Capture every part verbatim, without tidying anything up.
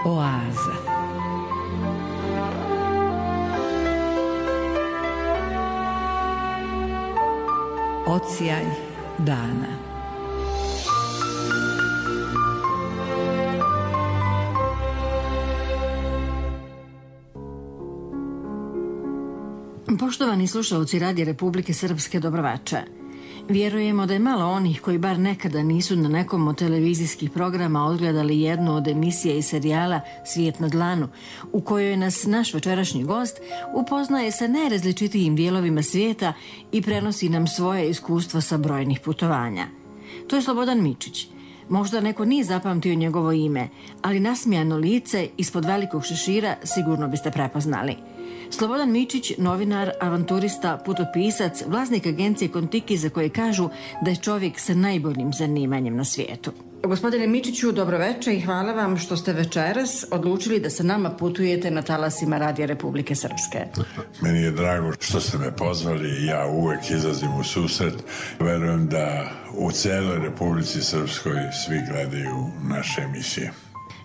Oaza. Odsjaj dana. Poštovani slušalci Radija Republike Srpske, dobroveče. Vjerujemo da je malo onih koji bar nekada nisu na nekom od televizijskih programa odgledali jednu od emisija i serijala Svijet na dlanu, u kojoj nas naš večerašnji gost upoznaje sa najrazličitijim dijelovima svijeta i prenosi nam svoje iskustva sa brojnih putovanja. To je Slobodan Mičić. Možda neko nije zapamtio njegovo ime, ali nasmijano lice ispod velikog šešira sigurno biste prepoznali. Slobodan Mičić, novinar, avanturista, putopisac, vlasnik agencije Kontiki, za koje kažu da je čovjek sa najboljim zanimanjem na svijetu. Gospodine Mičiću, dobroveče i hvala vam što ste večeras odlučili da sa nama putujete na talasima Radija Republike Srpske. Meni je drago što ste me pozvali, ja uvek izlazim u susret. Verujem da u cijeloj Republici Srpskoj svi gledaju naše emisije.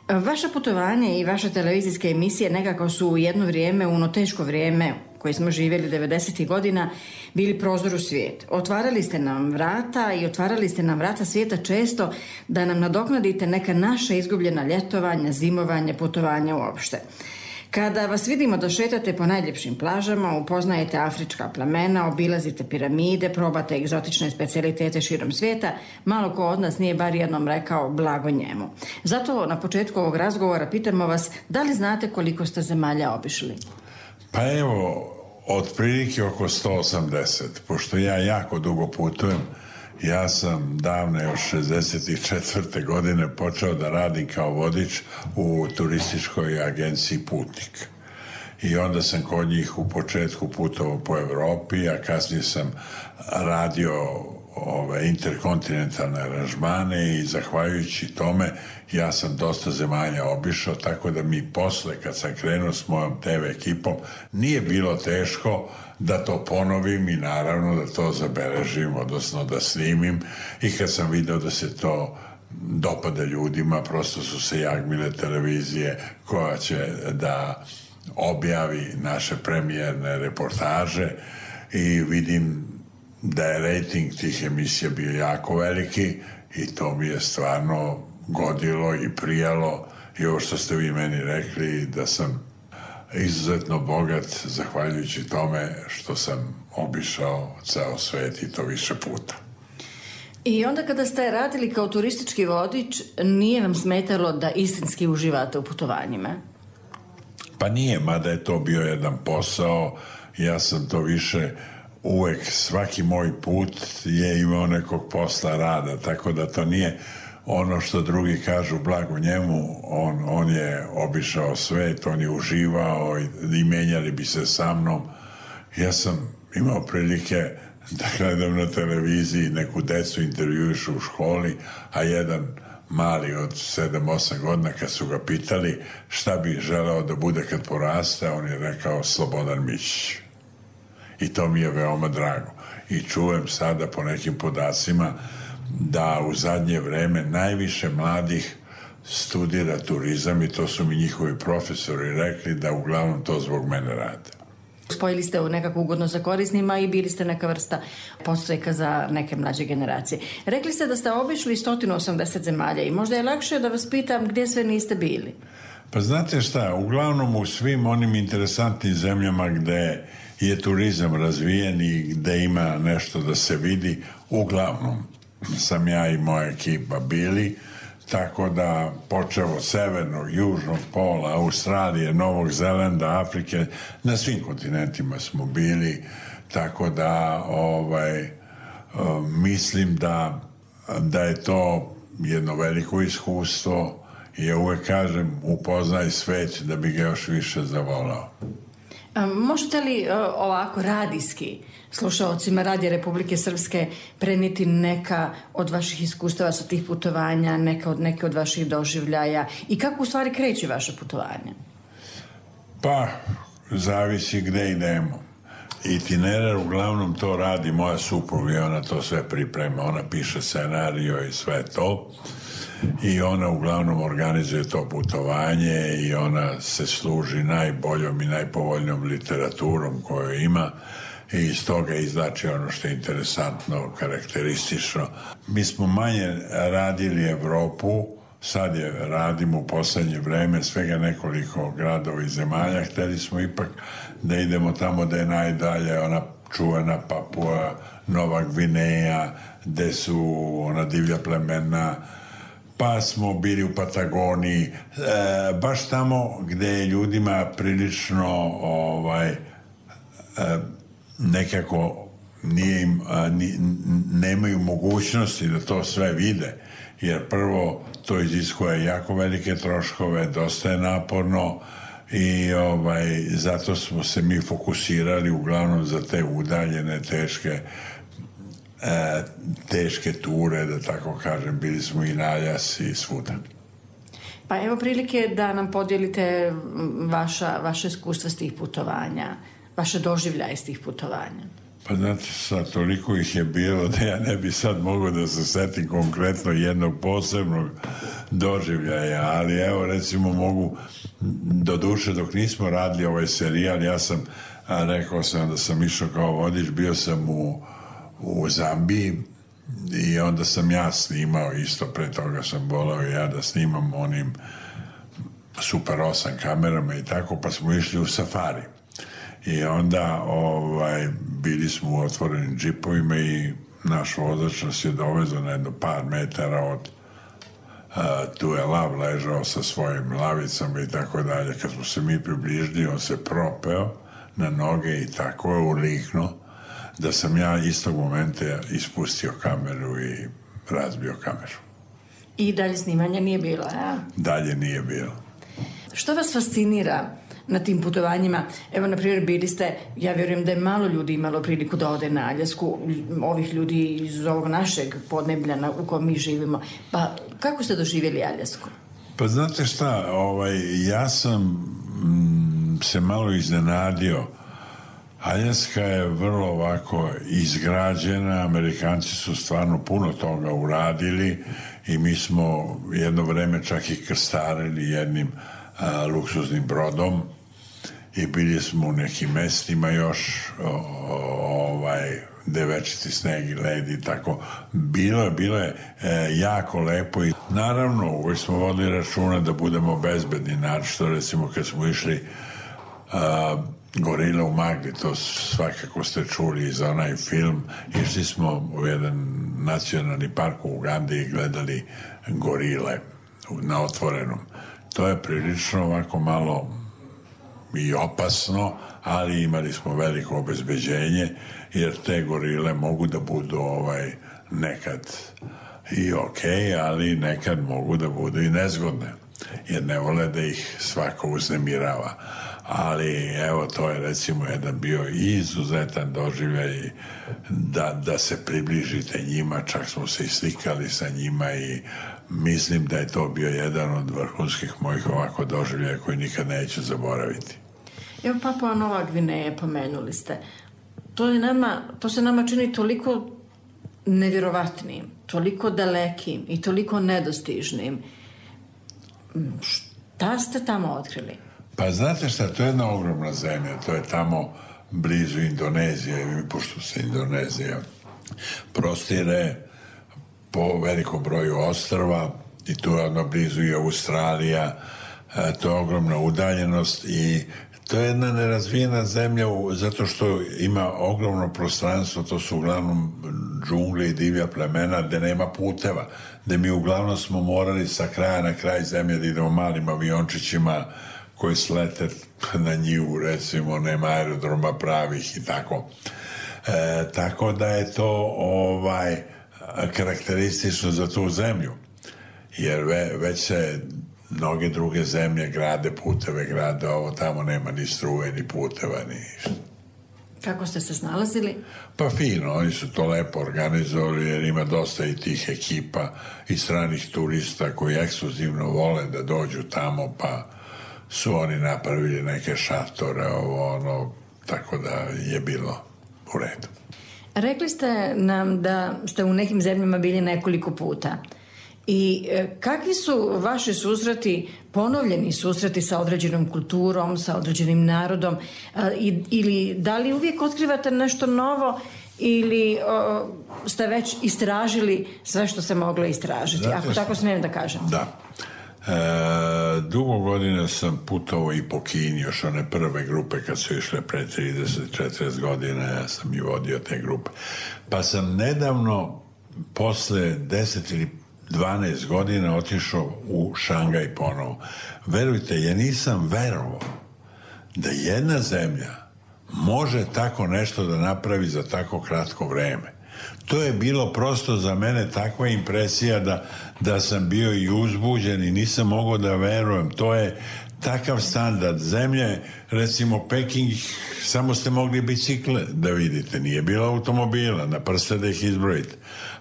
Vaše putovanje i vaše televizijske emisije nekako su u jedno vrijeme, u ono teško vrijeme koje smo živjeli devedesetih godina, bili prozor u svijet. Otvarali ste nam vrata i otvarali ste nam vrata svijeta često da nam nadoknadite neka naša izgubljena ljetovanja, zimovanja, putovanja uopšte. Kada vas vidimo da šetate po najljepšim plažama, upoznajete afrička plemena, obilazite piramide, probate egzotične specijalitete širom svijeta, malo ko od nas nije bar jednom rekao blago njemu. Zato na početku ovog razgovora pitamo vas da li znate koliko ste zemalja obišli? Pa evo, otprilike oko sto osamdeset, pošto ja jako dugo putujem. Ja sam davne još šezdeset četvrte godine počeo da radim kao vodič u turističkoj agenciji Putnik. I onda sam kod njih u početku putovao po Evropi, a kasnije sam radio ove interkontinentalne aranžmane i zahvaljujući tome ja sam dosta zemalja obišao, tako da mi posle kad sam krenuo s mojom te ve ekipom nije bilo teško da to ponovim i naravno da to zabeležim, odnosno da snimim, i kad sam video da se to dopada ljudima, prosto su se jagmile televizije koja će da objavi naše premijerne reportaže i vidim da je rejting tih emisija bio jako veliki i to mi je stvarno godilo i prijalo, i ovo što ste vi meni rekli da sam izuzetno bogat zahvaljujući tome što sam obišao ceo svet i to više puta. I onda kada ste radili kao turistički vodič, nije vam smetalo da istinski uživate u putovanjima? Pa nije, mada je to bio jedan posao, ja sam to više uvek, svaki moj put je imao nekog posla rada, tako da to nije ono što drugi kažu blago njemu, on, on je obišao svet, on je uživao i, i menjali bi se sa mnom. Ja sam imao prilike da gledam na televiziji, neku decu intervjuišu u školi, a jedan mali od sedam osam godina kad su ga pitali šta bi želeo da bude kad poraste, on je rekao Slobodan Mičić. I to mi je veoma drago. I čujem sada po nekim podacima da u zadnje vreme najviše mladih studira turizam i to su mi njihovi profesori rekli da uglavnom to zbog mene rade. Spojili ste u nekako ugodno za korisnima i bili ste neka vrsta podstreka za neke mlađe generacije. Rekli ste da ste obišli sto osamdeset zemalja i možda je lakše da vas pitam gdje sve niste bili. Pa znate šta, uglavnom u svim onim interesantnim zemljama gde je turizam razvijen i gde ima nešto da se vidi, uglavnom sam ja i moja ekipa bili, tako da počeo od severnog, južnog pola, Australije, Novog Zelanda, Afrike, na svim kontinentima smo bili, tako da ovaj, mislim da, da je to jedno veliko iskustvo i ja uvek kažem upoznaj svet da bi ga još više zavolao. Možete li ovako radijski slušaocima Radija Republike Srpske prenijeti neka od vaših iskustava sa tih putovanja, neka od, neke od vaših doživljaja i kako u stvari kreće vaše putovanje? Pa, zavisi gde idemo. Itinerar uglavnom to radi moja supruga i ona to sve priprema, ona piše scenario i sve to. i ona uglavnom organizuje to putovanje i ona se služi najboljom i najpovoljnijom literaturom koju ima i iz toga izvlači ono što je interesantno, karakteristično. Mi smo manje radili Evropu, sad je radimo u poslednje vreme svega nekoliko gradova i zemalja. Hteli smo ipak da idemo tamo da je najdalje ona čuvena Papua, Nova Gvineja, gde su ona divlja plemena, pa smo bili u Patagoniji, e, baš tamo gde je ljudima prilično ovaj, e, nekako nije im, a, ni, nemaju mogućnosti da to sve vide, jer prvo to iziskuje jako velike troškove, dosta je naporno i ovaj, zato smo se mi fokusirali uglavnom za te udaljene, teške e, teške ture, da tako kažem. Bili smo i na Aljasi i svuda. Pa evo prilike da nam podijelite vaša, vaše iskustva s tih putovanja, vaše doživljaje s tih putovanja. Pa znate, sad toliko ih je bilo da ja ne bi sad mogao da se setim konkretno jednog posebnog doživljaja, ali evo recimo mogu, do duše dok nismo radili ovaj serijal, ja sam, a, rekao sam da sam išao kao vodič, bio sam u, u Zambiji i onda sam ja snimao, isto pre toga sam volao ja da snimam onim Super osam kamerama i tako, pa smo išli u safari. I onda ovaj, bili smo u otvorenim džipovima i naš vozač nas je dovezao na jedno par metara od uh, tu je lav ležao sa svojim lavicama i tako dalje. Kad smo se mi približili, on se propeo na noge i tako je uliknuo da sam ja istog momenta ispustio kameru i razbio kameru. I dalje snimanja nije bilo, a? Dalje nije bilo. Što vas fascinira na tim putovanjima? Evo, na primjer, bili ste, ja vjerujem da je malo ljudi imalo priliku da ode na Aljasku, ovih ljudi iz ovog našeg podneblja u kojem mi živimo. Pa, kako ste doživjeli Aljasku? Pa znate šta, ovaj, ja sam mm, se malo iznenadio. Aljaska je vrlo ovako izgrađena, Amerikanci su stvarno puno toga uradili i mi smo jedno vreme čak i krstarili jednim a, luksuznim brodom i bili smo u nekim mestima još o, ovaj gde večiti sneg i led i tako. Bilo je, bilo je e, jako lepo i naravno uvijek smo vodili računa da budemo bezbedni, naročito recimo kad smo išli a, Gorila u Magli, to svakako ste čuli za onaj film. Išli smo u jedan nacionalni park u Ugandi i gledali gorile na otvorenom. To je prilično ovako malo i opasno, ali imali smo veliko obezbeđenje, jer te gorile mogu da budu ovaj nekad i okej, ali nekad mogu da budu i nezgodne, jer ne vole da ih svako uznemirava. Ali evo, to je recimo jedan bio izuzetan doživljaj da, da se približite njima, čak smo se i slikali sa njima i mislim da je to bio jedan od vrhunskih mojih ovako doživljaja koji nikad neću zaboraviti. Evo, Papua Nova Gvineja pomenuli ste. To, je nama, to se nama čini toliko nevjerovatnim, toliko dalekim i toliko nedostižnim. Šta ste tamo otkrili? Pa znate šta, to je jedna ogromna zemlja, to je tamo blizu Indonezije, pošto se Indonezija prostire po velikom broju ostrva i tu je ono blizu i Australija, to je ogromna udaljenost i to je jedna nerazvijena zemlja zato što ima ogromno prostranstvo, to su uglavnom džungle i divlja plemena gde nema puteva, gde mi uglavnom smo morali sa kraja na kraj zemlje da idemo malim aviončićima koji slete na njivu, recimo, nema aerodroma pravih i tako. E, tako da je to ovaj karakteristično za tu zemlju, jer ve, već se mnoge druge zemlje grade puteve, grade ovo, tamo nema ni struje, ni puteva, ni ništa. Kako ste se snalazili? Pa fino, oni su to lepo organizovali jer ima dosta i tih ekipa i stranih turista koji ekskluzivno vole da dođu tamo, pa su oni napravili neke šatore, ovo, ono, tako da je bilo u redu. Rekli ste nam da ste u nekim zemljama bili nekoliko puta I kakvi su vaši susreti, ponovljeni susreti sa određenom kulturom, sa određenim narodom, ili da li uvijek otkrivate nešto novo ili o, ste već istražili sve što se moglo istražiti, znate, ako tako smijem da kažem? Da. E, dugo godina sam putovao i po Kini, još one prve grupe kad su išle pre trideset četrdeset godina, ja sam i vodio te grupe. Pa sam nedavno, posle deset ili dvanaest godina, otišao u Šangaj ponovo. Verujte, ja nisam verovao da jedna zemlja može tako nešto da napravi za tako kratko vreme. To je bilo prosto za mene takva impresija da, da sam bio i uzbuđen i nisam mogao da verujem. To je takav standard. Zemlje, recimo Peking, samo ste mogli bicikle da vidite, nije bilo automobila, na prste da ih izbrojite.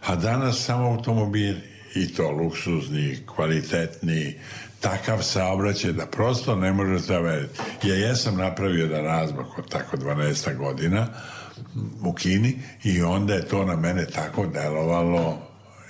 A danas samo automobili, i to luksuzni, kvalitetni, takav saobraćaj da prosto ne možete da veriti. Ja jesam napravio jedan razmak od tako dvanaest godina u Kini i onda je to na mene tako delovalo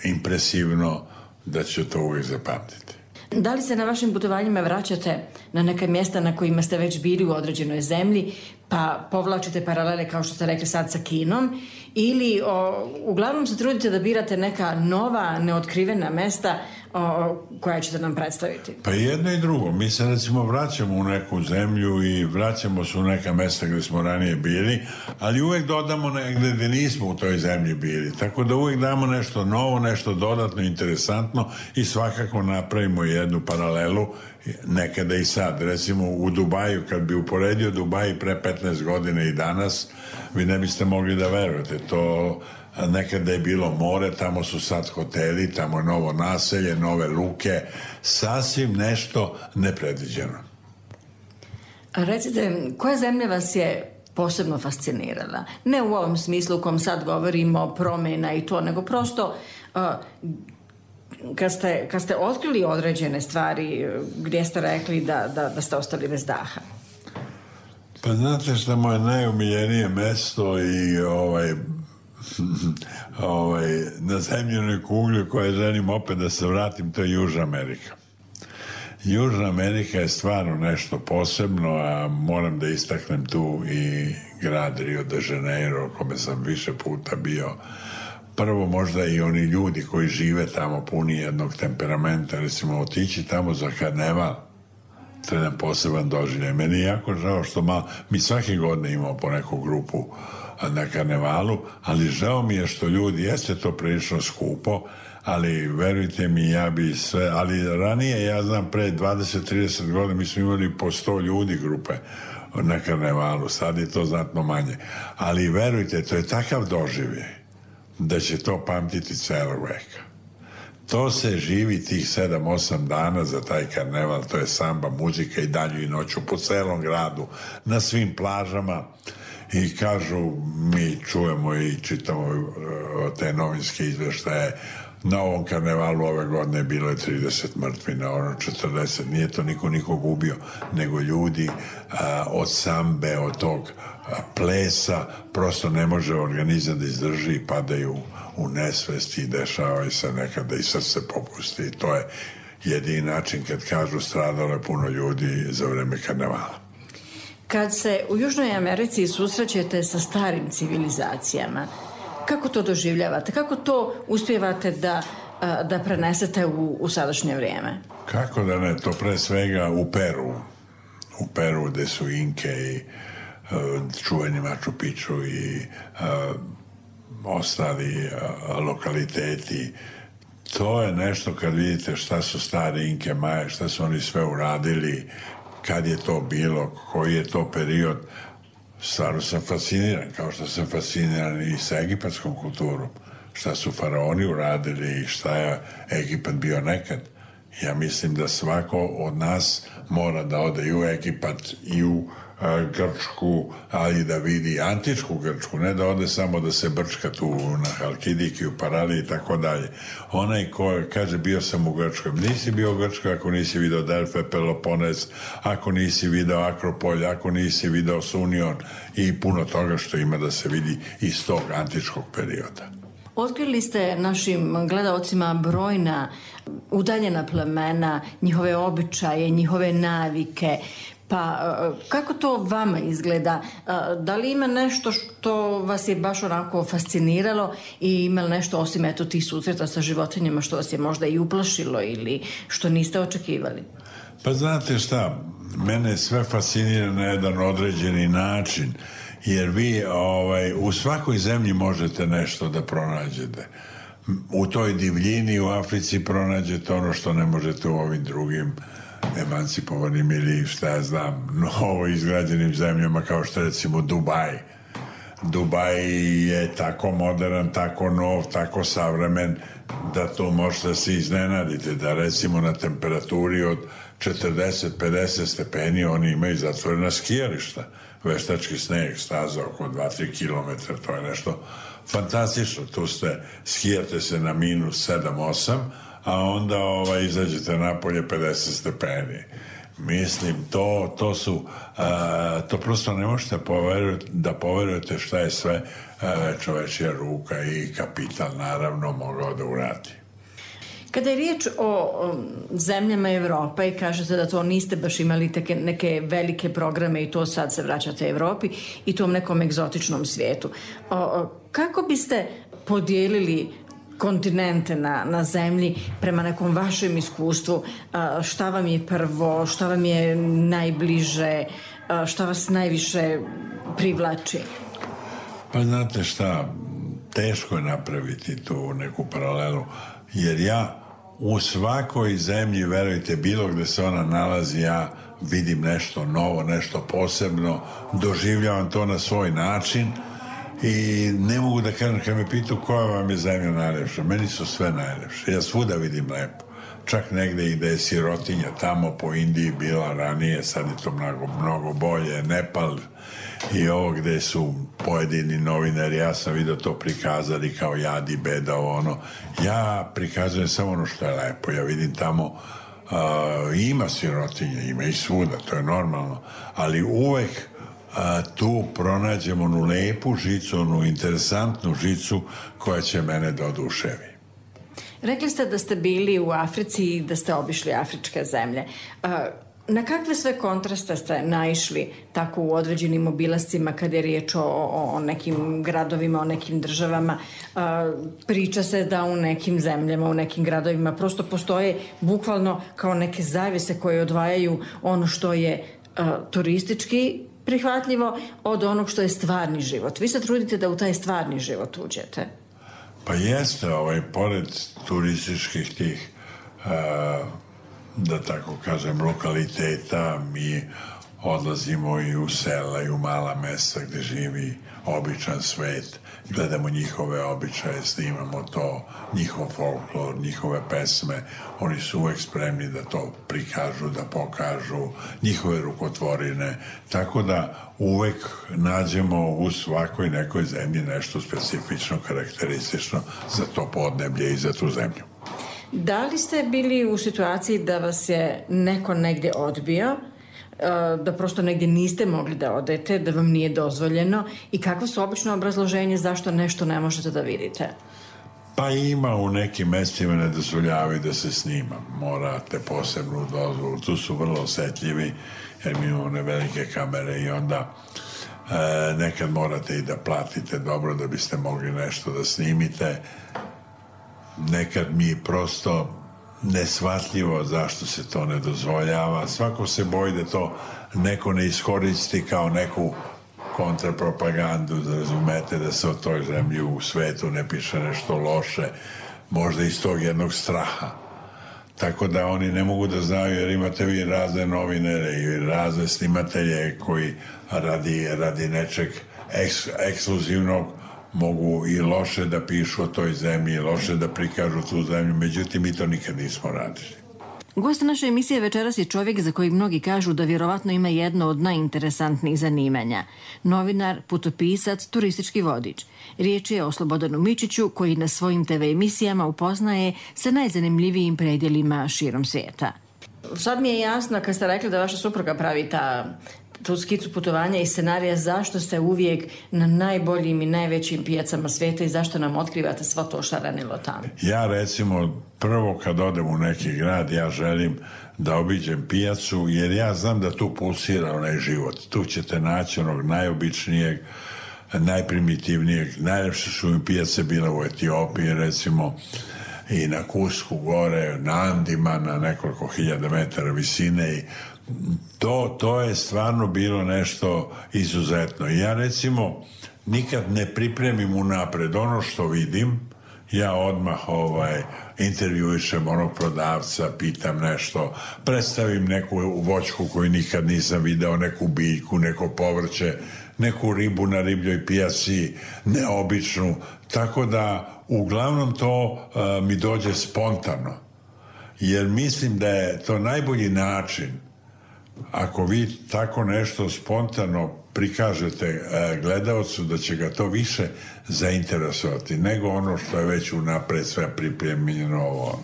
impresivno da ću to uvijek zapamtiti. Da li se na vašim putovanjima vraćate na neka mjesta na kojima ste već bili u određenoj zemlji, pa povlačite paralele, kao što ste rekli sad, sa Kinom, ili o, uglavnom se trudite da birate neka nova, neotkrivena mesta o, koja ćete nam predstaviti? Pa jedno i drugo. Mi se recimo vraćamo u neku zemlju i vraćamo se u neka mesta gdje smo ranije bili, ali uvijek dodamo negdje gdje nismo u toj zemlji bili. Tako da uvijek damo nešto novo, nešto dodatno, interesantno i svakako napravimo jednu paralelu, nekada i sad. Recimo u Dubaju, kad bi uporedio Dubaj pre petnaest godina i danas, vi ne biste mogli da verujete. To nekada je bilo more, tamo su sad hoteli, tamo je novo naselje, nove luke, sasvim nešto nepredviđeno. A recite, koja zemlja vas je posebno fascinirala? Ne u ovom smislu u kom sad govorimo, promjena i to, nego prosto uh, kad, ste, kad ste otkrili određene stvari gdje ste rekli da, da, da ste ostali bez daha. Pa znate što moje najumiljenije mesto i ovaj ovaj, na zemljenoj kugli koje želim opet da se vratim, to je Južna Amerika. Južna Amerika je stvarno nešto posebno, a moram da istaknem tu i grad Rio de Janeiro, u kome sam više puta bio. Prvo, možda i oni ljudi koji žive tamo puni jednog temperamenta, recimo otići tamo za karneval, to je jedan poseban doživljaj. Meni je jako žao što malo, mi svake godine imamo po neku grupu na karnevalu, ali žao mi je što ljudi, jeste to prilično skupo, ali verujte mi, ja bi sve, ali ranije, ja znam, pre dvadeset trideset godina mi smo imali po sto ljudi grupe na karnevalu, sad je to znatno manje, ali verujte, to je takav doživljaj da će to pamtiti celog veka. To se živi tih sedam osam dana za taj karneval, to je samba, muzika i danju i noću po celom gradu, na svim plažama. I kažu, mi čujemo i čitamo te novinske izveštaje, na ovom karnevalu ove godine bilo je trideset mrtvi, na ono četrdeset, nije to niko nikog ubio, nego ljudi a, od sambe, od tog a, plesa, prosto ne može organizam da izdrži i padaju u nesvest i dešavaju se nekada i srce popusti. I to je jedini način kad kažu stradalo je puno ljudi za vreme karnevala. Kad se u Južnoj Americi susrećete sa starim civilizacijama, kako to doživljavate? Kako to uspijevate da, da prenesete u, u sadašnje vrijeme? Kako da ne, to pre svega u Peru. U Peru gde su Inke i uh, čuveni Machu Picchu i uh, ostali uh, lokaliteti. To je nešto kad vidite šta su stari Inke, Maje, šta su oni sve uradili, kad je to bilo, koji je to period. Stvarno sam fasciniran, kao što sam fasciniran i sa egipatskom kulturom. Šta su faraoni uradili i šta je Egipat bio nekad. Ja mislim da svako od nas mora da ode i u Egipat i u a, Grčku, ali da vidi antičku Grčku, ne da ode samo da se brčka tu na Halkidiki, u Paraliji i tako dalje. Onaj ko kaže bio sam u Grčkoj, nisi bio u Grčkoj ako nisi video Delfe, Peloponez, ako nisi video Akropolj, ako nisi video Sunion i puno toga što ima da se vidi iz tog antičkog perioda. Otkrili ste našim gledaocima brojna udaljena plemena, njihove običaje, njihove navike. Pa kako to vama izgleda? Da li ima nešto što vas je baš onako fasciniralo i ima li nešto osim eto tih susreta sa životinjama što vas je možda i uplašilo ili što niste očekivali? Pa znate šta, mene sve fascinira na jedan određeni način, jer vi ovaj, u svakoj zemlji možete nešto da pronađete. U toj divljini u Africi pronađete ono što ne možete u ovim drugim emancipovanim ili šta ja znam, novo izgrađenim zemljama kao što recimo Dubaj. Dubaj je tako modern, tako nov, tako savremen da to možete se iznenadite, da recimo na temperaturi od četrdeset do pedeset stepeni oni imaju zatvorena skijališta, veštački sneg, staza oko dva do tri kilometra, to je nešto fantastično. Tu ste, skijate se na minus sedam do osam, a onda ovaj, izađete napolje pedeset stepeni. Mislim, to, to su, a, to prosto ne možete poverujete, da poverujete šta je sve a, čovečja ruka i kapital naravno mogao da uradi. Kada je riječ o zemljama Evrope i kažete da to niste baš imali teke, neke velike programe i to sad se vraćate Evropi i tom nekom egzotičnom svijetu. O, o, kako biste podijelili kontinente na, na zemlji prema nekom vašem iskustvu? A, šta vam je prvo, šta vam je najbliže, a, šta vas najviše privlači? Pa znate šta, teško je napraviti tu neku paralelu, jer ja u svakoj zemlji, verujte, bilo gde se ona nalazi, ja vidim nešto novo, nešto posebno, doživljavam to na svoj način i ne mogu da kažem, kad me pitu koja vam je zemlja najlepša, meni su sve najlepše, ja svuda vidim lepo, čak negde i da je sirotinja tamo po Indiji bila ranije, sad je to mnogo, mnogo bolje, Nepal i ovo gde su pojedini novinari, ja sam vidio to prikazali kao jad i beda, ono, ja prikazujem samo ono što je lepo, ja vidim tamo uh, ima sirotinje, ima i svuda, to je normalno, ali uvek uh, tu pronađemo onu lepu žicu, onu interesantnu žicu koja će mene da oduševi. Rekli ste da ste bili u Africi i da ste obišli afričke zemlje. Uh, Na kakve sve kontraste ste naišli tako u određenim obilascima kada je riječ o, o, o nekim gradovima, o nekim državama? A, priča se da u nekim zemljama, u nekim gradovima prosto postoje bukvalno kao neke zavese koje odvajaju ono što je a, turistički prihvatljivo od onog što je stvarni život. Vi se trudite da u taj stvarni život uđete. Pa jeste, ovaj, pored turističkih tih a, da tako kažem, lokaliteta, mi odlazimo i u sela i u mala mesta gde živi običan svet, gledamo njihove običaje, snimamo to, njihov folklor, njihove pesme, oni su uvek spremni da to prikažu, da pokažu, njihove rukotvorine, tako da uvek nađemo u svakoj nekoj zemlji nešto specifično, karakteristično za to podneblje i za tu zemlju. Da li ste bili u situaciji da vas je neko negdje odbio, da prosto negdje niste mogli da odete, da vam nije dozvoljeno i kakvo su obično obrazloženje zašto nešto ne možete da vidite? Pa ima u nekim mestima ne dozvoljavaju da se snima. Morate posebnu dozvolu. Tu su vrlo osetljivi jer mi imamo one velike kamere i onda e, nekad morate i da platite dobro da biste mogli nešto da snimite. Nekad mi prosto neshvatljivo zašto se to ne dozvoljava. Svako se boji da to neko ne iskoristi kao neku kontrapropagandu, da razumete da se o toj zemlji u svetu ne piše nešto loše, možda iz tog jednog straha. Tako da oni ne mogu da znaju, jer imate vi razne novinare i razne snimatelje koji radi, radi nečeg eks, ekskluzivnog mogu i loše da pišu o toj zemlji, loše da prikažu tu zemlju, međutim mi to nikad nismo radili. Gost naše emisije večeras je čovjek za kojeg mnogi kažu da vjerovatno ima jedno od najinteresantnijih zanimanja. Novinar, putopisac, turistički vodič. Riječ je o Slobodanu Mičiću koji na svojim te ve emisijama upoznaje sa najzanimljivijim predjelima širom svijeta. Sad mi je jasno kad ste rekli da vaša supruga pravi ta tu skicu putovanja i scenarija, zašto ste uvijek na najboljim i najvećim pijacama svijeta i zašto nam otkrivate svo to šarenilo tamo? Ja recimo prvo kad odem u neki grad ja želim da obiđem pijacu jer ja znam da tu pulsira onaj život. Tu ćete naći onog najobičnijeg, najprimitivnijeg. Najljepše su mi pijace bile u Etiopiji recimo i na Kusku gore, na Andima, na nekoliko hiljada metara visine i to, to je stvarno bilo nešto izuzetno. I ja recimo nikad ne pripremim unapred ono što vidim, ja odmah ovaj, intervjuišem onog prodavca, pitam nešto, predstavim neku voćku koju nikad nisam video, neku biljku, neko povrće, neku ribu na ribljoj pijaci, neobičnu, tako da uglavnom to uh, mi dođe spontano, jer mislim da je to najbolji način ako vi tako nešto spontano prikažete uh, gledaocu, da će ga to više zainteresovati nego ono što je već unapred sve pripremljeno ovo.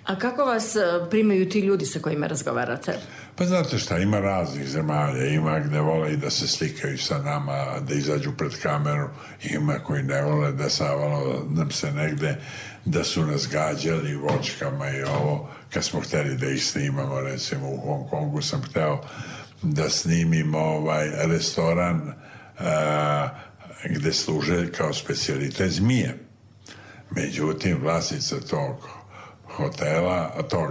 A kako vas primaju ti ljudi sa kojima razgovarate? Pa znate šta, ima raznih zemalja, ima gde vole i da se slikaju sa nama, da izađu pred kameru, ima koji ne vole da savalo nam se negde, da su nas gađali voćkama i ovo, kad smo hteli da ih snimamo, recimo u Hong Kongu sam hteo da snimim ovaj restoran a, gde služe kao specijalitet zmije. Međutim, vlasnica tog hotela, tog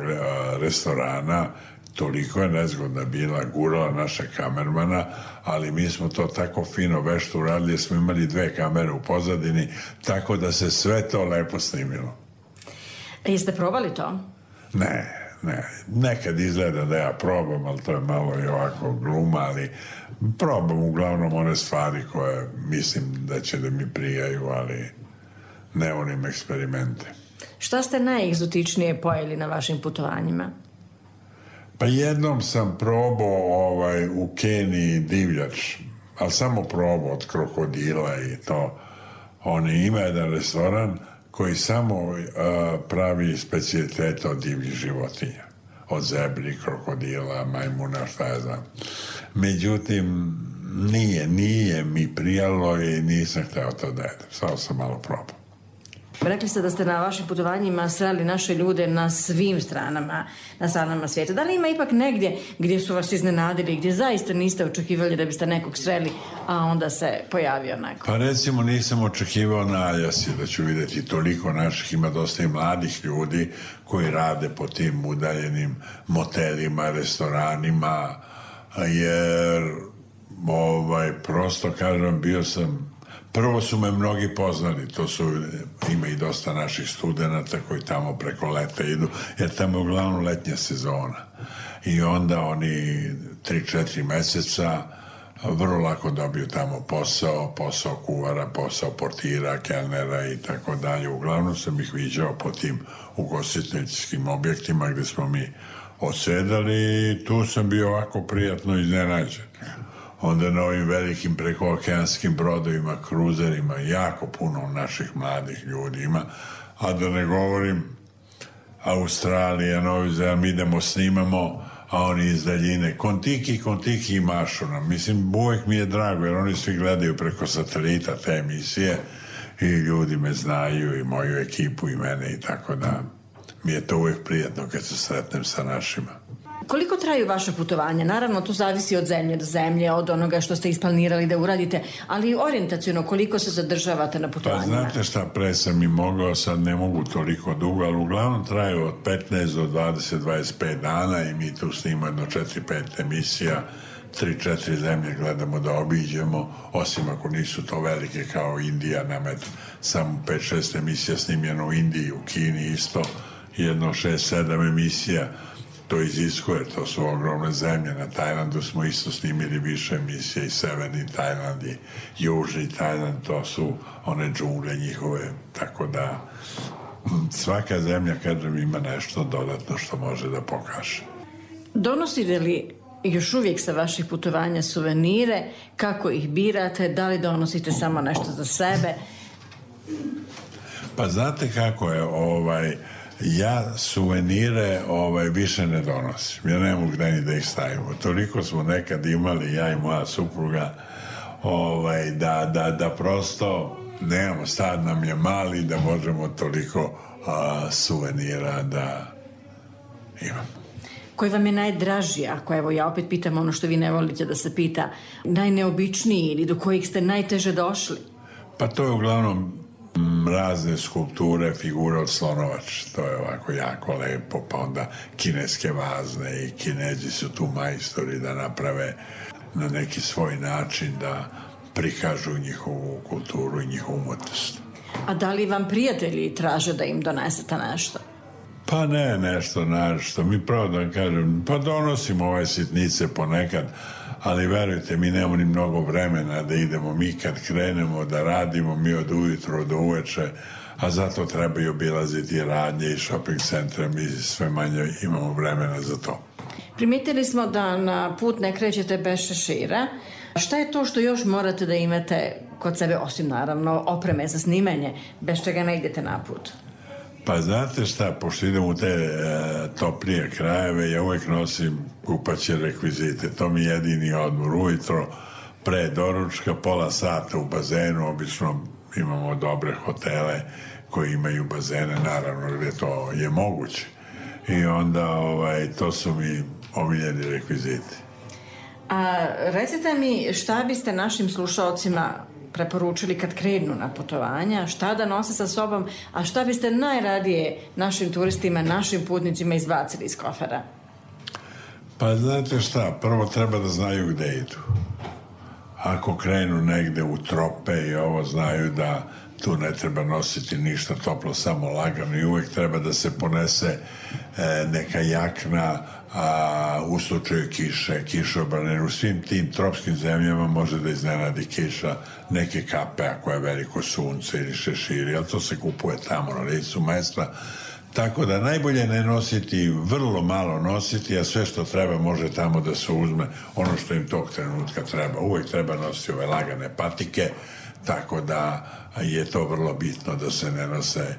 restorana toliko je nezgodna bila, gurala naše kamermana, ali mi smo to tako fino vešto uradili, jer smo imali dve kamere u pozadini, tako da se sve to lepo snimilo. A jeste probali to? Ne, ne. Nekad izgleda da ja probam, ali to je malo i ovako gluma, ali probam uglavnom one stvari koje mislim da će da mi prijaju, ali ne onim eksperimente. Šta ste najegzotičnije pojeli na vašim putovanjima? Pa jednom sam probao ovaj, u Keniji divljač, ali samo probao od krokodila i to. Oni ima jedan restoran koji samo uh, pravi specijalitete od divljih životinja. Od zebri, krokodila, majmuna, šta ja znam. Međutim, nije, nije mi prijalo i nisam hteo to da jedem. Samo sam malo probao. Rekli ste da ste na vašim putovanjima sreli naše ljude na svim stranama, na stranama svijeta. Da li ima ipak negdje gdje su vas iznenadili, gdje zaista niste očekivali da biste nekog sreli, a onda se pojavio neko? Pa recimo nisam očekivao na Aljasi da ću vidjeti toliko naših, ima dosta i mladih ljudi koji rade po tim udaljenim motelima, restoranima, jer ovaj, prosto kažem, bio sam. Prvo su me mnogi poznali, to su, ima i dosta naših studenata koji tamo preko leta idu, jer tamo je uglavnom letnja sezona. I onda oni tri četiri meseca vrlo lako dobiju tamo posao, posao kuvara, posao portira, kelnera i tako dalje. Uglavnom sam ih viđao po tim ugostiteljskim objektima gde smo mi odsedali i tu sam bio ovako prijatno iznenađen. Onda na ovim velikim prekookeanskim brodovima, kruzerima, jako puno naših mladih ljudi ima, a da ne govorim Australija, Novi Zeland, mi idemo, snimamo, a oni iz daljine kontiki, kontiki i mašu nam. Mislim, uvek mi je drago, jer oni svi gledaju preko satelita te emisije i ljudi me znaju i moju ekipu i mene i tako da mi je to uvek prijatno kad se sretnem sa našima. Koliko traju vaše putovanja? Naravno, to zavisi od zemlje do zemlje, od onoga što ste isplanirali da uradite, ali orijentaciono koliko se zadržavate na putovanjima? Pa znate šta, pre sam i mogao, sad ne mogu toliko dugo, ali uglavnom traju od petnaest do dvadeset do dvadeset pet dana i mi tu snimamo jedno četiri pet emisija, tri četiri zemlje gledamo da obiđemo, osim ako nisu to velike kao Indija, nam je samo pet šest emisija snimljeno u Indiji, u Kini isto, jedno šest sedam emisija. To iziskuje, to su ogromne zemlje. Na Tajlandu smo isto snimili više emisije, i severni Tajland i južni Tajland, to su one džungle njihove, tako da svaka zemlja, kažem, ima nešto dodatno što može da pokaže. Donosite li još uvijek sa vaših putovanja suvenire? Kako ih birate? Da li donosite samo nešto za sebe? Pa znate kako je, ovaj, Ja suvenire ovaj, više ne donosim. Ja ne mogu gde ni da ih stavimo. Toliko smo nekad imali, ja i moja supruga, ovaj, da, da, da prosto nemamo, stad nam je mali da možemo toliko a, suvenira da imamo. Koji vam je najdraži, ako evo ja opet pitam ono što vi ne volite da se pita, najneobičniji ili do kojih ste najteže došli? Pa to je uglavnom razne skulpture, figure od slonovač, to je ovako jako lepo, pa onda kineske vazne i Kinezi su tu majstori da naprave na neki svoj način da prikažu njihovu kulturu i njihovu umetnost. A da li vam prijatelji traže da im donesete nešto? Pa ne, nešto nešto. Mi pravo da vam kažem, pa donosimo ove sitnice ponekad, ali verujte, mi nemamo ni mnogo vremena da idemo. Mi kad krenemo da radimo, mi od ujutro do uveče, a zato treba i obilaziti radnje i shopping centre, mi sve manje imamo vremena za to. Primetili smo da na put ne krećete bez šešira. Šta je to što još morate da imate kod sebe, osim naravno opreme za snimanje, bez čega ne idete na put? Pa znate šta, pošto idem u te e, toplije krajeve, ja uvek nosim kupaće rekvizite. To mi je jedini odmor. Ujutro pre doručka, pola sata u bazenu, obično imamo dobre hotele koji imaju bazene, naravno gde to je moguće. I onda ovaj, to su mi omiljeni rekviziti. A recite mi šta biste našim slušaocima preporučili kad krenu na putovanja, šta da nose sa sobom, a šta biste najradije našim turistima, našim putnicima izbacili iz kofera? Pa znate šta, prvo treba da znaju gde idu. Ako krenu negde u trope i ovo, znaju da tu ne treba nositi ništa toplo, samo lagano i uvek treba da se ponese e, neka jakna, a u slučaju kiše, kišobrane, u svim tim tropskim zemljama može da iznenadi kiša, neke kape ako je veliko sunce ili šeširi, ali to se kupuje tamo na licu mesta. Tako da najbolje ne nositi, vrlo malo nositi, a sve što treba može tamo da se uzme, ono što im tog trenutka treba. Uvek treba nositi ove lagane patike, tako da je to vrlo bitno da se ne nose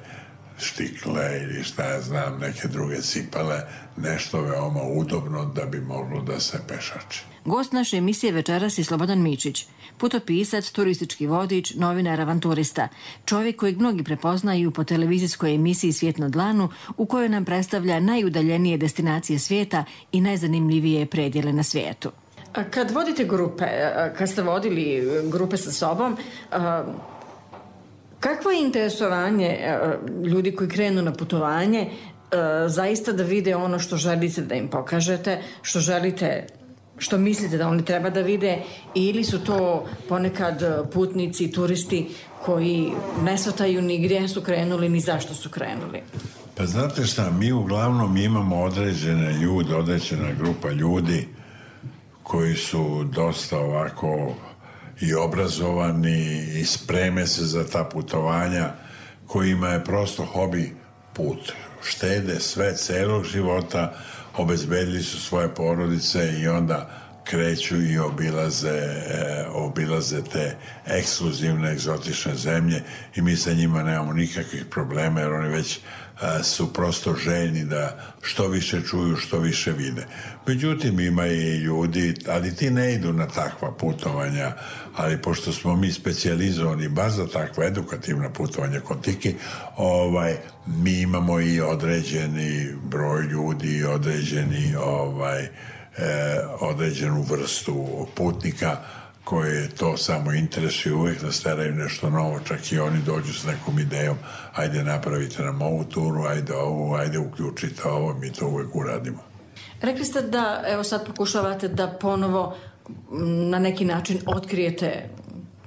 štikle ili šta ja znam, neke druge cipele, nešto veoma udobno da bi moglo da se pešači. Gost naše emisije večeras je Slobodan Mičić, putopisac, turistički vodič, novinar, avanturista, čovjek kojeg mnogi prepoznaju po televizijskoj emisiji Svijet na dlanu, u kojoj nam predstavlja najudaljenije destinacije svijeta i najzanimljivije predjele na svijetu. Kad vodite grupe, kad ste vodili grupe sa sobom, kakvo je interesovanje ljudi koji krenu na putovanje zaista da vide ono što želite da im pokažete, što želite, što mislite da oni treba da vide, ili su to ponekad putnici, turisti koji ne shvataju ni gdje su krenuli ni zašto su krenuli? Pa znate šta, mi uglavnom imamo određene ljude, određena grupa ljudi koji su dosta ovako i obrazovani i spreme se za ta putovanja, kojima je prosto hobi put. Štede sve celog života, obezbedili su svoje porodice i onda kreću i obilaze, e, obilaze te ekskluzivne, egzotične zemlje i mi sa njima nemamo nikakvih problema jer oni već e, su prosto željni da što više čuju, što više vide. Međutim, ima i ljudi, ali ti ne idu na takva putovanja, ali pošto smo mi specijalizovani baš za takva edukativna putovanja kod Tiki, ovaj, mi imamo i određeni broj ljudi i određeni ovaj, E, određenu vrstu putnika koje to samo interesuje, uvijek nas teraju nešto novo, čak i oni dođu s nekom idejom, ajde napravite nam ovu turu, ajde ovu, ajde uključite ovo, mi to uvijek uradimo. Rekli ste da, evo sad pokušavate da ponovo na neki način otkrijete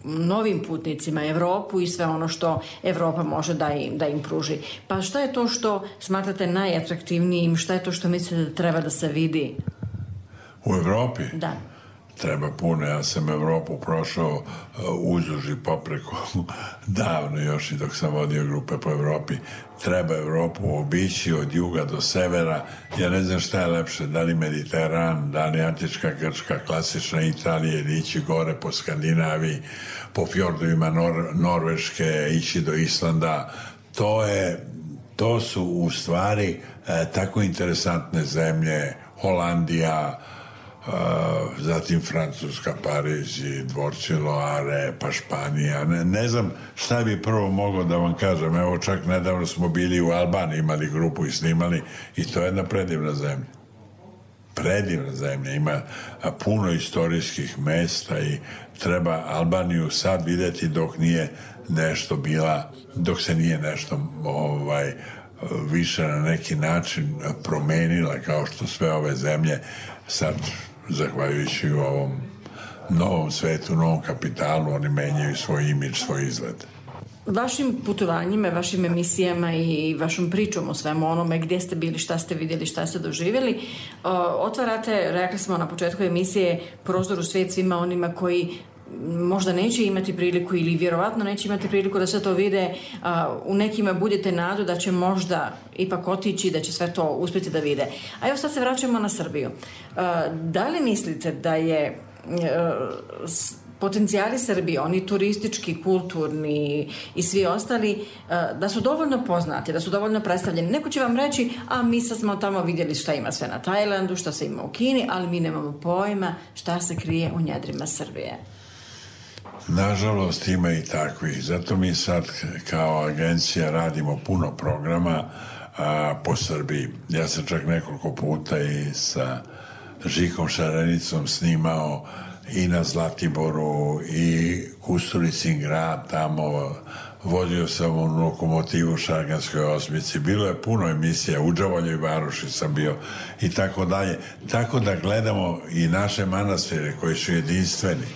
novim putnicima Evropu i sve ono što Evropa može da im, da im pruži. Pa šta je to što smatrate najatraktivnijim, šta je to što mislite da treba da se vidi? U Evropi? Da. Treba puno. Ja sam Evropu prošao uh, uzduž i popreko davno još i dok sam vodio grupe po Evropi. Treba Evropu obići od juga do severa. Ja ne znam šta je lepše, da li Mediteran, da li Antička Grčka, klasična Italija ili ići gore po Skandinaviji, po fjordovima Nor- Norveške, ići do Islanda. To je to su u stvari e, tako interesantne zemlje, Holandija, e, zatim Francuska, Pariz i dvorci Loare, pa Španija. Ne, ne znam šta bi prvo mogao da vam kažem. Evo, čak nedavno smo bili u Albaniji, imali grupu i snimali, i to je jedna predivna zemlja. Predivna zemlja, ima puno istorijskih mesta i treba Albaniju sad vidjeti dok nije nešto bila, dok se nije nešto ovaj, više na neki način promenila, kao što sve ove zemlje sad, zahvaljujući ovom novom svetu, novom kapitalu, oni menjaju svoj imidž, svoj izgled. Vašim putovanjima, vašim emisijama i vašom pričom o svemu onome gdje ste bili, šta ste vidjeli, šta ste doživjeli, otvarate, rekli smo na početku emisije, prozor u svijet svima onima koji možda neće imati priliku ili vjerovatno neće imati priliku da sve to vide. U nekima budete nadu da će možda ipak otići, da će sve to uspjeti da vide. A evo sad se vraćamo na Srbiju. Da li mislite da je potencijali Srbije, oni turistički, kulturni i svi ostali, da su dovoljno poznati, da su dovoljno predstavljeni? Neko će vam reći, a mi sad smo tamo vidjeli šta ima sve na Tajlandu, šta se ima u Kini, ali mi nemamo pojma šta se krije u njedrima Srbije. Nažalost ima i takvih. Zato mi sad kao agencija radimo puno programa a, po Srbiji. Ja sam čak nekoliko puta i sa Žikom Šarenicom snimao i na Zlatiboru i Kustulicin grad tamo, vodio sam u lokomotivu u Šarganskoj osmici, bilo je puno emisija, u Đavoljoj Varoši sam bio i tako dalje. Tako da gledamo i naše manastire koji su jedinstveni,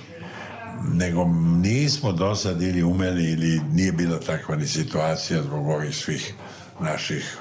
nego nismo do sad ili umeli ili nije bila takva ni situacija zbog ovih svih naših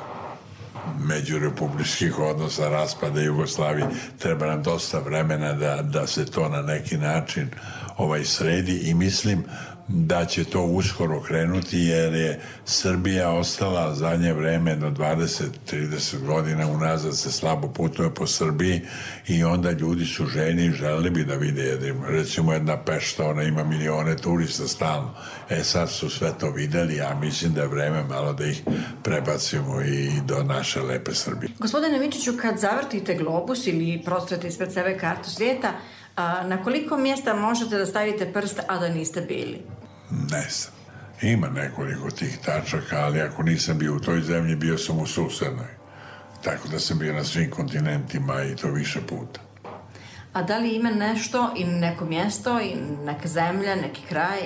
međurepubličkih odnosa, raspada Jugoslavije. Treba nam dosta vremena da, da se to na neki način ovaj sredi i mislim da će to uskoro krenuti, jer je Srbija ostala zadnje vreme do dvadeset do trideset godina unazad se slabo putuje po Srbiji i onda ljudi su ženi i želeli bi da vide jednim. Recimo jedna Pešta, ona ima milione turista stalno. E sad su sve to videli, a mislim da je vreme malo da ih prebacimo i do naše lepe Srbije. Gospodine Mičiću, kad zavrtite globus ili prostrete ispred sebe kartu svijeta, a na koliko mjesta možete da stavite prst, a da niste bili? Ne znam. Ima nekoliko tih tačaka, ali ako nisam bio u toj zemlji, bio sam u susednoj. Tako da sam bio na svim kontinentima i to više puta. A da li ima nešto i neko mjesto i neka zemlja, neki kraj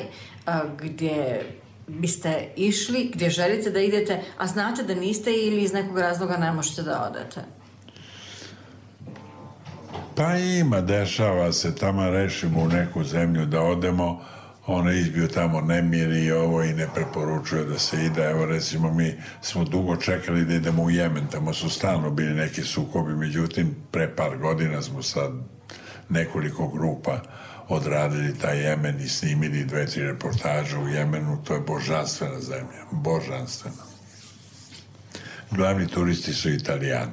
a, gdje biste išli, gdje želite da idete, a znate da niste ili iz nekog razloga ne možete da odete? Pa ima, dešava se, tamo rešimo u neku zemlju da odemo, ona izbio tamo nemir i ovo i ne preporučuje da se ide. Evo recimo mi smo dugo čekali da idemo u Jemen, tamo su stalno bili neki sukobi, međutim pre par godina smo sad nekoliko grupa odradili taj Jemen i snimili dve, tri reportaže u Jemenu. To je božanstvena zemlja, božanstvena. Glavni turisti su Italijani.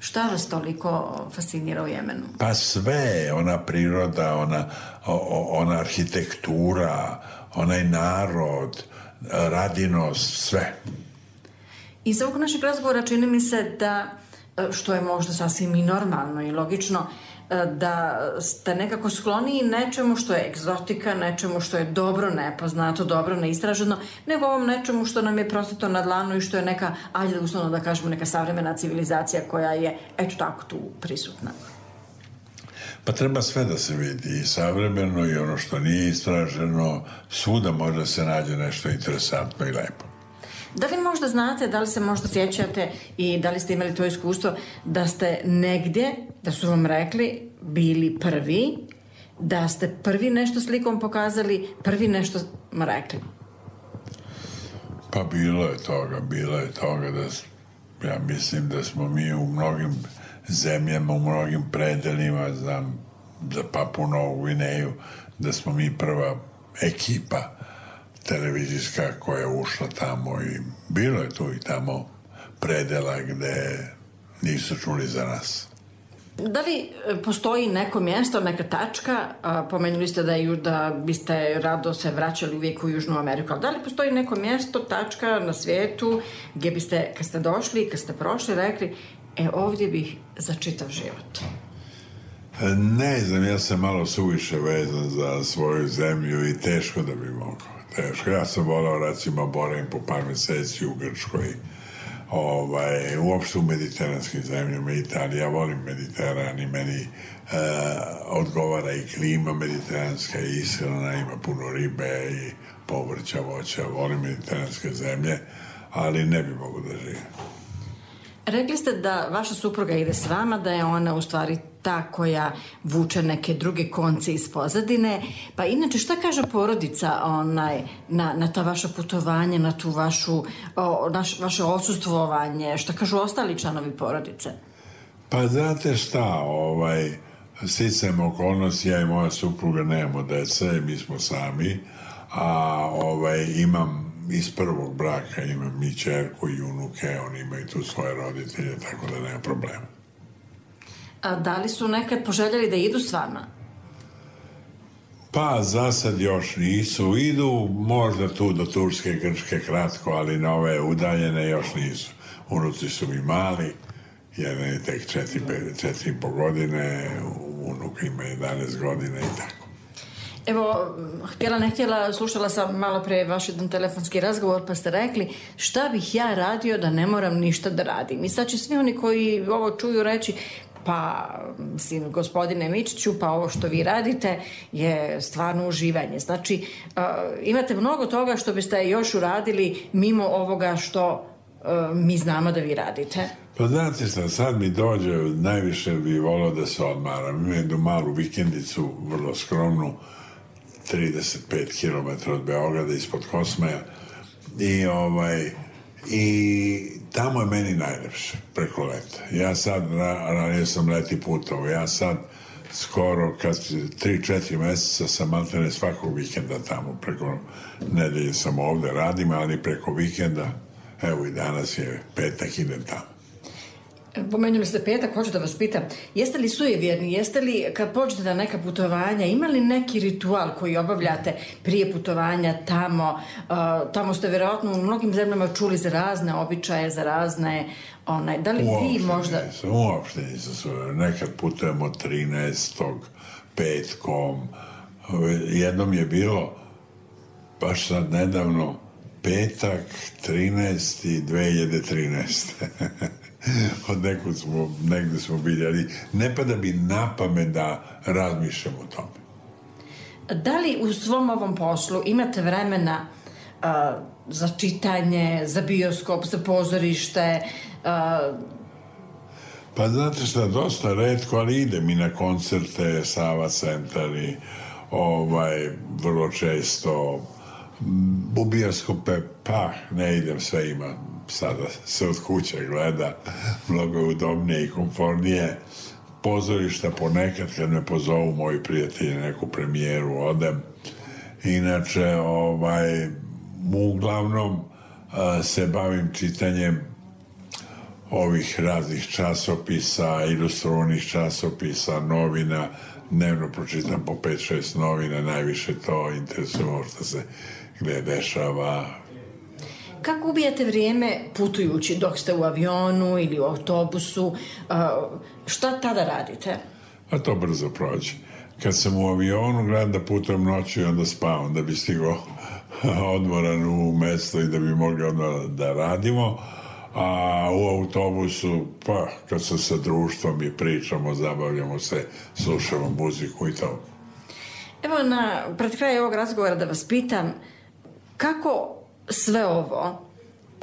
Šta vas toliko fascinira u Jemenu? Pa sve, ona priroda, ona, ona arhitektura, onaj narod, radinost, sve. Iz ovog našeg razgovora čini mi se da, što je možda sasvim i normalno i logično, da ste nekako skloniji nečemu što je egzotika, nečemu što je dobro nepoznato, dobro neistraženo, nego ovom nečemu što nam je prosto na dlanu i što je neka, ajde uslovno da kažemo, neka savremena civilizacija koja je eto tako tu prisutna. Pa treba sve da se vidi, i savremeno i ono što nije istraženo, svuda može se nađe nešto interesantno i lepo. Da li možda znate, da li se možda sjećate i da li ste imali to iskustvo da ste negdje, da su vam rekli, bili prvi, da ste prvi nešto slikom pokazali, prvi nešto rekli? Pa bilo je toga, bilo je toga da ja mislim da smo mi u mnogim zemljama, u mnogim predelima za, za Papu Novu Gvineju, da smo mi prva ekipa televizijska koja je ušla tamo i bilo je tu i tamo predela gde nisu čuli za nas. Da li postoji neko mjesto, neka tačka, a, pomenuli ste da, ju, da biste rado se vraćali uvijek u Južnu Ameriku, ali da li postoji neko mjesto, tačka na svijetu gdje biste, kad ste došli, kad ste prošli, rekli, e, ovdje bih za čitav život? Ne znam, ja sam malo suviše vezan za svoju zemlju i teško da bi mogao. Teško. Ja sam volao, recimo, boravim po par mjeseci u Grčkoj, ovaj, uopšte u mediteranskim zemljama, Italija, ja volim Mediteran i meni e, odgovara i klima mediteranska i ishrana, ima puno ribe i povrća, voća, volim mediteranske zemlje, ali ne bi mogu da živim. Rekli ste da vaša supruga ide s vama, da je ona u stvari ta koja vuče neke druge konce iz pozadine. Pa inače, šta kaže porodica onaj, na, na ta vaša putovanja, na tu vašu, o, naš, vaše odsustvovanje? Šta kažu ostali članovi porodice? Pa znate šta, ovaj, sticajem okolnosti, ja i moja supruga nemamo dece, mi smo sami, a ovaj, imam iz prvog braka, imam i ćerku i unuke, oni imaju tu svoje roditelje, tako da nema problema. A da li su nekad poželjeli da idu s vama? Pa za sad još nisu. Idu možda tu do Turske, Grčke kratko, ali na ove udaljene još nisu. Unuci su mi mali, jedan je tek četiri, četiri i po godine, unuk ima jedanaest godina i tako. Evo, htjela ne htjela, slušala sam malo pre vaš jedan telefonski razgovor, pa ste rekli šta bih ja radio da ne moram ništa da radim. I sad će svi oni koji ovo čuju reći, pa, mislim, gospodine Mičiću, pa ovo što vi radite je stvarno uživanje. Znači, uh, imate mnogo toga što biste još uradili mimo ovoga što uh, mi znamo da vi radite. Pa znate šta, sad mi dođe, najviše bi volao da se odmaram. Imam jednu malu vikendicu, vrlo skromnu, trideset pet kilometara od Beograda, ispod Kosmaja. I ovaj... I tamo je meni najlepše, preko leta. Ja sad, ranije sam leti putovao, ja sad skoro, kad tri četiri mjeseca sam maltene svakog vikenda tamo, preko nedelje sam ovde, radim, ali preko vikenda, evo i danas je petak, idem tamo. Pomenuli ste petak, hoću da vas pitam, jeste li sujevjerni, jeste li, kad pođete na neka putovanja, ima li neki ritual koji obavljate prije putovanja tamo? Uh, tamo ste vjerojatno u mnogim zemljama čuli za razne običaje, za razne, onaj, da li uopšte vi možda... Nisam, uopšte nisam sujevjerni, nekad putujemo trinaestog petkom, jednom je bilo, baš sad nedavno, petak, trinaesti dve hiljade trinaeste od nekud smo, negde smo bili, ali ne pada bi na pamet da razmišljam o tome. Da li u svom ovom poslu imate vremena uh, za čitanje, za bioskop, za pozorište? Uh... Pa znate šta, dosta retko, ali idem i na koncerte, Sava centar i ovaj, vrlo često u bioskope, pa ne idem, sve ima. Sada se od kuće gleda, mnogo je udobnije i komfornije. Pozorišta ponekad kad me pozovu moji prijatelji neku premijeru odem. Inače, ovaj, uglavnom a, se bavim čitanjem ovih raznih časopisa, ilustrovanih časopisa, novina. Dnevno pročitam po pet šest novina, najviše to interesuje što se gdje dešava. Kako ubijate vrijeme putujući dok ste u avionu ili u autobusu? Šta tada radite? A to brzo prođe. Kad sam u avionu, gledam da putujem noću i onda spavam, da bi stigao odmoran u mesto i da bi mogli odmah da radimo. A u autobusu, pa, kad sam sa društvom i pričamo, zabavljamo se, slušamo muziku i to. Evo, na, pred kraj ovog razgovora da vas pitam, kako sve ovo,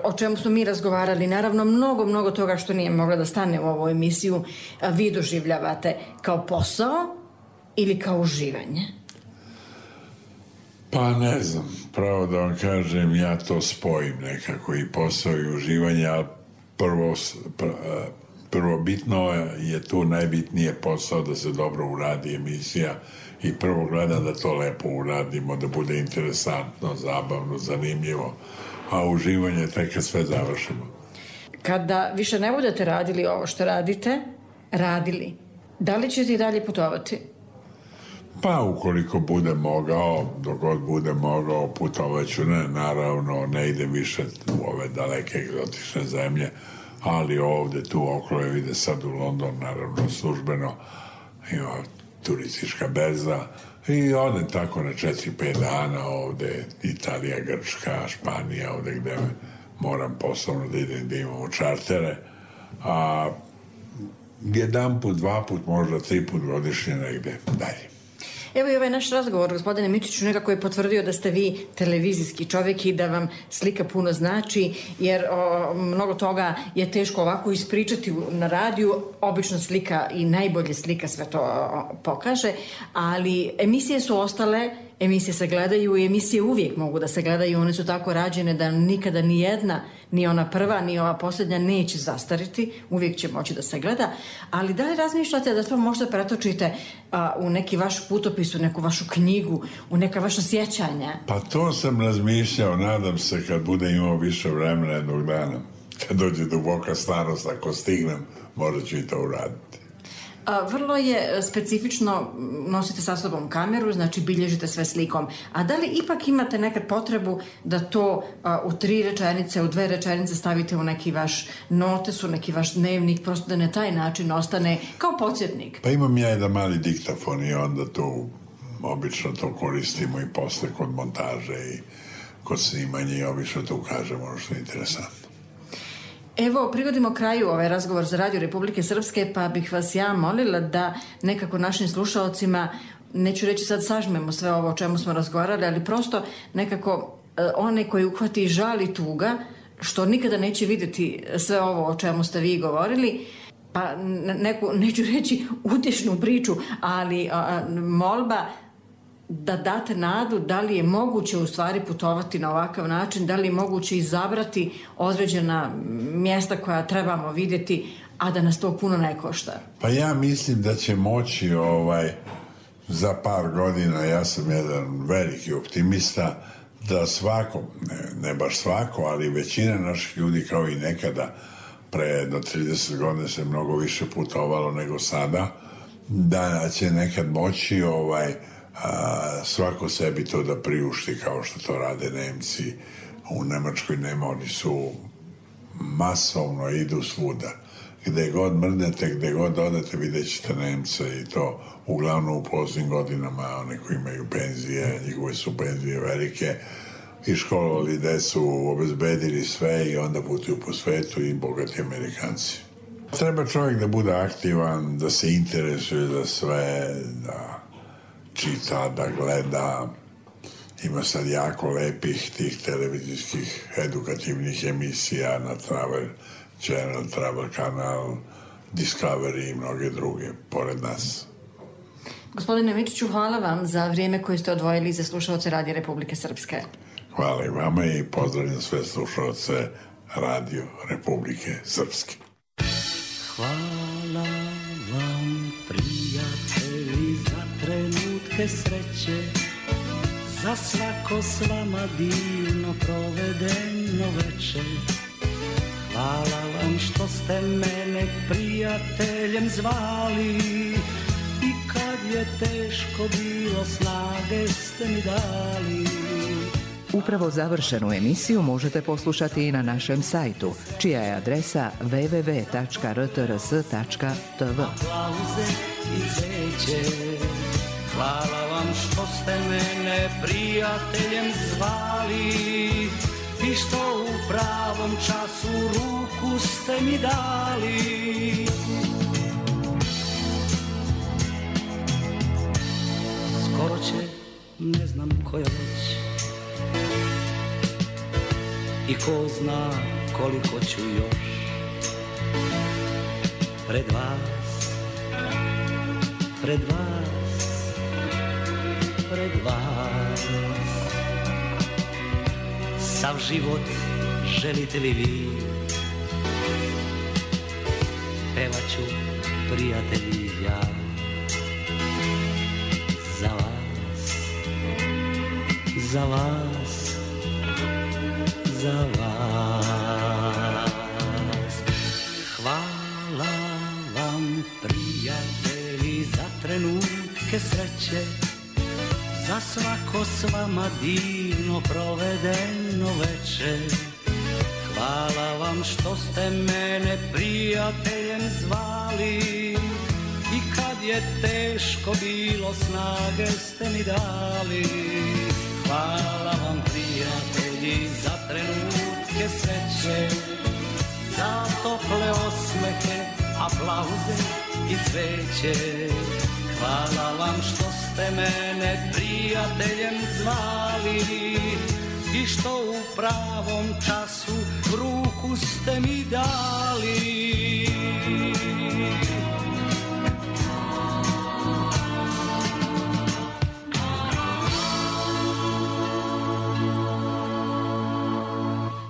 o čemu smo mi razgovarali, naravno mnogo, mnogo toga što nije moglo da stane u ovu emisiju, vi doživljavate kao posao ili kao uživanje? Pa ne znam, pravo da vam kažem, ja to spojim nekako, i posao i uživanje, ali prvo, prvo bitno je tu najbitnije posao da se dobro uradi emisija i prvo gledam da to lepo uradimo, da bude interesantno, zabavno, zanimljivo, a uživanje tek kad sve završimo. Kada više ne budete radili ovo što radite, radili, Da li ćete i dalje putovati? Pa ukoliko bude mogao, dok god bude mogao, putovaću. Ne, naravno, ne idem više u ove daleke egzotične zemlje, ali ovde, tu okolo, ide sad u London, naravno, službeno, ima turistička berza i odem tako na četiri pet dana ovde, Italija, Grčka, Španija, ovde gde moram poslovno da idem, da imamo čartere, a jedan put, dva put, možda tri put godišnje negde dalje. Evo i ovaj naš razgovor, gospodine Mičiću, nekako je potvrdio da ste vi televizijski čovjek i da vam slika puno znači, jer o, mnogo toga je teško ovako ispričati na radiju. Obično slika i najbolje slika sve to o, pokaže, ali emisije su ostale, emisije se gledaju i emisije uvijek mogu da se gledaju. One su tako rađene da nikada ni jedna, ni ona prva, ni ova posljednja neće zastariti, uvijek će moći da se gleda. Ali da li razmišljate da to možda pretočite a, u neki vaš putopis, u neku vašu knjigu, u neka vaša sjećanja? Pa to sam razmišljao, nadam se kad bude imao više vremena jednog dana. Kad dođe duboka starost, ako stignem, možda ću i to uraditi. A, vrlo je specifično, nosite sa sobom kameru, znači bilježite sve slikom. A da li ipak imate nekad potrebu da to a, u tri rečenice, u dve rečenice stavite u neki vaš notes, u neki vaš dnevnik, prosto da na taj način ostane kao podsjetnik? Pa imam ja jedan mali diktafon i onda tu obično to koristimo i posle kod montaže i kod snimanja i obično tu kažemo ono što je interesantno. Evo, prigodimo kraju ovaj razgovor za Radio Republike Srpske, pa bih vas ja molila da nekako našim slušaocima, neću reći sad sažmemo sve ovo o čemu smo razgovarali, ali prosto nekako one koji uhvati žal i tuga, što nikada neće vidjeti sve ovo o čemu ste vi govorili, pa neku, neću reći utješnu priču, ali a, molba da date nadu da li je moguće u stvari putovati na ovakav način, da li je moguće izabrati određena mjesta koja trebamo vidjeti, a da nas to puno ne košta. Pa ja mislim da će moći ovaj, za par godina, ja sam jedan veliki optimista, da svako, ne, ne baš svako, ali većina naših ljudi kao i nekada pre jedno trideset godina se mnogo više putovalo nego sada, da će nekad moći ovaj, a, svako sebi to da priušti kao što to rade Nemci. U Nemačkoj nema, oni su masovno idu svuda. Gde god mrnete, gde god odete, vidjet ćete Nemce i to uglavnom u poznim godinama, one koji imaju penzije, njihove su penzije velike, i školovali decu, obezbedili sve i onda putuju po svetu i bogati Amerikanci. Treba čovjek da bude aktivan, da se interesuje za sve, da čita, da gleda. Ima sad jako lepih tih televizijskih edukativnih emisija na Travel Channel, Travel Kanal, Discovery i mnoge druge pored nas. Gospodine Mičiću, hvala vam za vrijeme koje ste odvojili za slušaoce Radio Republike Srpske. Hvala i vama i pozdravljam sve slušaoce Radio Republike Srpske. Hvala vam, prijatelji, za trenutke sreće, za svako s vama divno provedeno večer. Hvala vam što ste mene prijateljem zvali i kad je teško bilo snage ste mi dali. Upravo završenu emisiju možete poslušati i na našem sajtu, čija je adresa w w w tačka r t r s tačka t v. Aplauze i veće. Hvala vam što ste mene prijateljem zvali i što u pravom času ruku ste mi dali. Skoro će, ne znam koja već, i ko zna koliko ću još pred vas, pred vas, pred vas. Sav život želite li vi, pevaću prijatelji ja za vas, za vas, za vas. Hvala vam, prijatelji, trenutke sreće, za svako s vama divno provedeno veče. Hvala vam što ste mene prijateljem zvali i kad je teško bilo snage ste mi dali. Hvala vam prijatelji za trenutke sreće, za tople osmehe, aplauze i cveće. Hvala vam što ste mene prijateljem zvali i što u pravom času ruku ste mi dali.